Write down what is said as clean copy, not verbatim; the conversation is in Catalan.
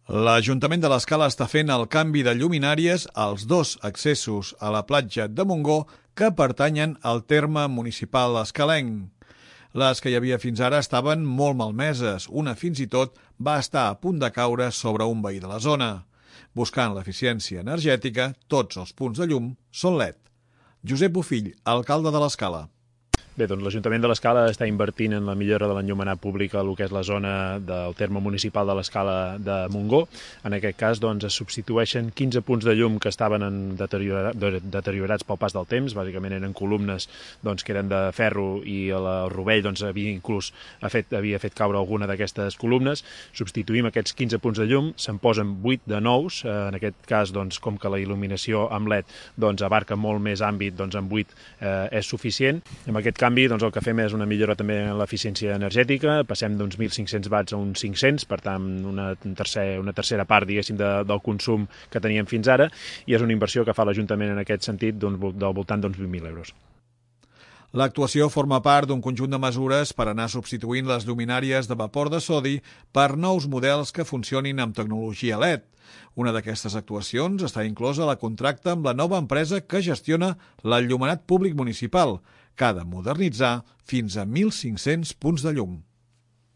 L'Ajuntament de l'Escala està fent el canvi de lluminàries als dos accessos a la platja de Montgó que pertanyen al terme municipal escalenc. Les que hi havia fins ara estaven molt malmeses, una fins i tot va estar a punt de caure sobre un veí de la zona. Buscant l'eficiència energètica, tots els punts de llum són LED. Josep Bofill, alcalde de l'Escala. Bé, doncs l'Ajuntament de l'Escala està invertint en la millora de l'enllumenat públic a el que és la zona del terme municipal de l'Escala de Montgó. En aquest cas, doncs, es substitueixen 15 punts de llum que estaven deteriorats pel pas del temps. Bàsicament eren columnes que eren de ferro i el rovell havia fet caure alguna d'aquestes columnes. Substituïm aquests 15 punts de llum, se'n posen 8 de nous. En aquest cas, com que la il·luminació amb LED abarca molt més àmbit, amb 8 és suficient. Amb aquest canvi, el que fem és una millora també en l'eficiència energètica, passem d'uns 1.500 watts a uns 500, per tant una tercera part, diguéssim, del consum que teníem fins ara, i és una inversió que fa l'Ajuntament en aquest sentit del voltant d'uns 20.000 euros. L'actuació forma part d'un conjunt de mesures per anar substituint les lluminàries de vapor de sodi per nous models que funcionin amb tecnologia LED. Una d'aquestes actuacions està inclosa a la contracta amb la nova empresa que gestiona l'enllumenat públic municipal, que ha de modernitzar fins a 1.500 punts de llum.